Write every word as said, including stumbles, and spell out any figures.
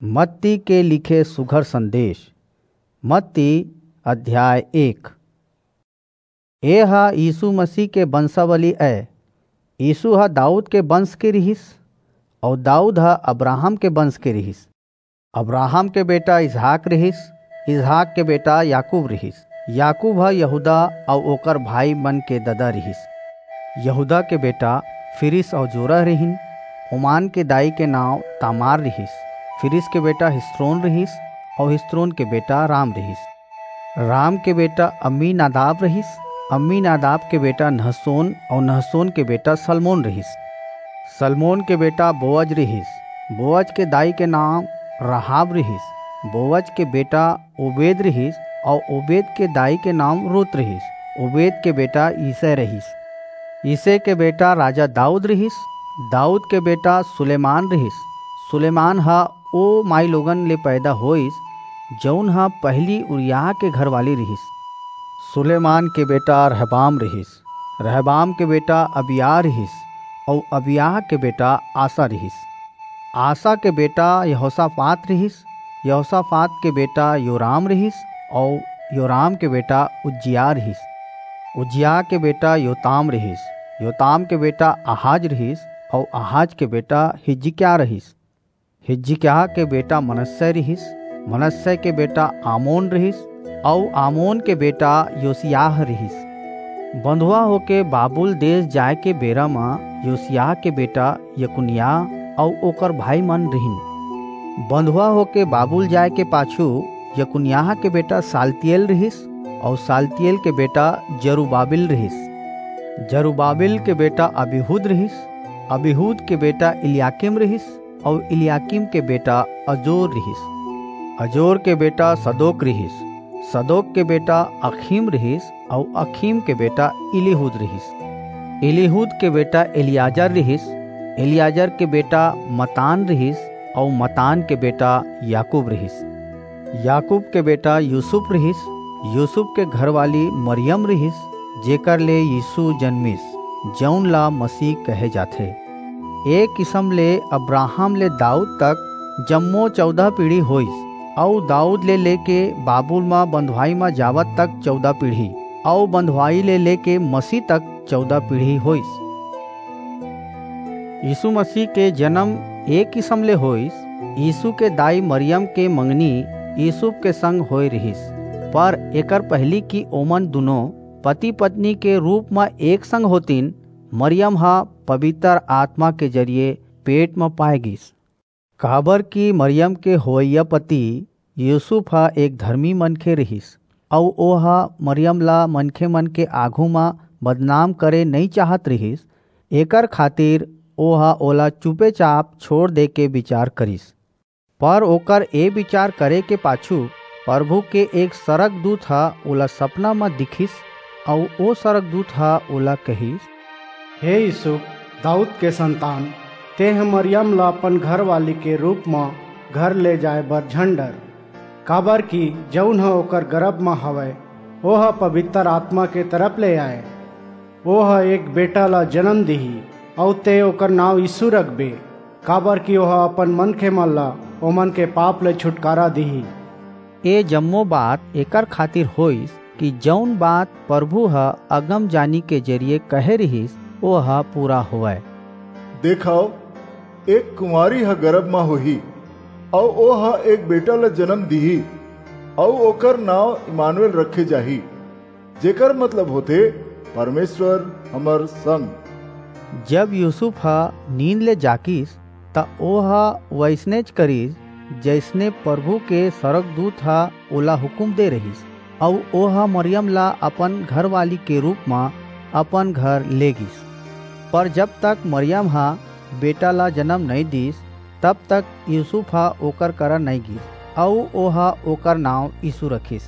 मत्ती के लिखे सुघर संदेश। मत्ती अध्याय एक। ए ह यीशु मसीह के वंशावली अय। यीशु ह दाऊद के वंश के रिहिस, अऊ दाऊद ह अब्राहम के वंश के रिहिस। अब्राहम के बेटा इसहाक रिहिस, इसहाक के बेटा याकूब रिहिस, याकूब ह यहूदा अऊ ओकर भाई मन के ददा रिहिस। यहूदा के बेटा फिरिस अऊ जोरह रिहिन। ओमान के दाई के नांव तामार रिहिस। फिरिस के बेटा हिस्रोन रिहिस, अऊ हिस्रोन के बेटा राम रिहिस। राम के बेटा अम्मीनादाब रिहिस। अम्मीनादाब के बेटा नहसोन, अऊ नहसोन के बेटा सलमोन रिहिस। सलमोन के बेटा बोअज रिहिस। बोअज के दाई के नांव राहाब रिहिस। बोअज के बेटा ओबेद रिहिस, अऊ ओबेद के दाई के नांव रूत रिहिस। ओबेद के बेटा यिशै रिहिस। यिशै के बेटा राजा दाऊद रिहिस। दाऊद के बेटा सुलेमान रिहिस। सुलेमान ह ओ माईलोगन ले पैदा होईस, जऊन ह पहिली उरिय्याह के घरवाली रिहिस। सुलेमान के बेटा रहबाम रिहिस। रहबाम के बेटा अबिय्याह रिहिस, अऊ अबिय्याह के बेटा आसा रिहिस। आसा के बेटा यहोसापात रिहिस। यहोसापात के बेटा योराम रिहिस, अऊ योराम के बेटा उज्जियाह रिहिस। उज्जियाह के बेटा योताम रिहिस। योताम के बेटा आहाज रिहिस, अऊ आहाज के बेटा हिजकिय्याह रिहिस। हिजकिय्याह के बेटा मनस्सै रिहिस। मनस्सै के बेटा आमोन रिहिस, अऊ आमोन के बेटा योसिय्याह रिहिस। बंधुआ होके बाबुल देस जाय के बेरा म योसिय्याह के बेटा यकुनिय्याह अऊ ओकर भाई मन रिहिन। बंधुआ होके बाबुल जाय के पाछू यकुनिय्याह के बेटा सालतियेल रिहिस, अऊ सालतियेल के बेटा जरुब्बाबिल रिहिस। जरुब्बाबिल के बेटा अबीहूद रिहिस। अबीहूद के बेटा इलयाकीम रिहिस, अऊ इलयाकीम के बेटा अजोर रिहिस। अजोर के बेटा सदोक रिहिस। सदोक के बेटा अखीम रिहिस, अऊ अखीम के बेटा इलीहूद रिहिस। इलीहूद के बेटा एलीआजर रिहिस। एलीआजर के बेटा मत्तान रिहिस, अऊ मत्तान के बेटा याकूब रिहिस। याकूब के बेटा यूसुफ रिहिस। यूसुफ के घरवाली मरियम रिहिस, जेकर ले यीशु जनमिस, जऊन ला मसीह कहे जाथे। ए किसम ले अब्राहम ले दाऊद तक जम्मो चौदह पीढ़ी होईस, अऊ दाऊद ले लेके बाबुल म बंधुआई म जावत तक चौदह पीढ़ी, अऊ बंधुआई ले लेके मसीह तक चौदह पीढ़ी होईस। यीशु मसीह के जन्म ए किसम ले होईस। यीशु के दाई मरियम के मंगनी यूसुफ के संग होय रिहिस, पर एकर पहिली कि ओमन दुनो पति-पत्नी के रूप म एक संग होतिन, मरियम ह पबितर आतमा के जरिये पेट म पाय गीस। काबर कि मरियम के होवइया पति यूसुफ ह एक धरमी मनखे रिहिस, अऊ ओह मरियम ला मनखे मन के आघू म बदनाम करे नइं चाहत रिहिस, एकर खातिर ओह ओला चुपेचाप छोंड़ दे के बिचार करिस। पर ओकर ए बिचार करे के पाछू परभू के एक सरगदूत ह ओला सपना म दिखिस, अऊ ओ सरगदूत ह ओला कहिस, हे यूसुफ, दाऊद के संतान, तेंह मरियम ला अपन घरवाली के रूप म घर ले जाय बर झन डर, काबर कि जऊन ह ओकर गरभ म हवय, ओह पबितर आतमा के तरफ ले अय। ओह एक बेटा ला जनम दिही, अऊ तें ओकर नांव यीशु रखबे, काबर कि ओह अपन मनखेमन ला ओमन के पाप ले छुटकारा दिही। ए जम्मो बात एकर खातिर होईस कि जऊन बात परभू ह अगमजानी के जरिये कहे रिहिस, ओह पूरा होवय। देखव, एक कुंवारी ह गरभ म होही, अऊ ओह एक बेटा ला जनम दिही, अऊ ओकर नांव इम्मानुएल रखे जाही, जेकर मतलब होथे, परमेसर हमर संग। जब यूसुफ ह नींद ले जागिस, त ओह वइसनेच करिस, जइसने परभू के सरगदूत ह ओला हुकूम दे रिहिस, अऊ ओह मरियम ला अपन घरवाली के रूप म अपन घर ले गीस। पर जब तक मरियम ह बेटा ला जनम नइं दीस, तब तक यूसुफ ह ओकर करा नइं गीस, अऊ ओह ओकर नांव यीशु रखिस।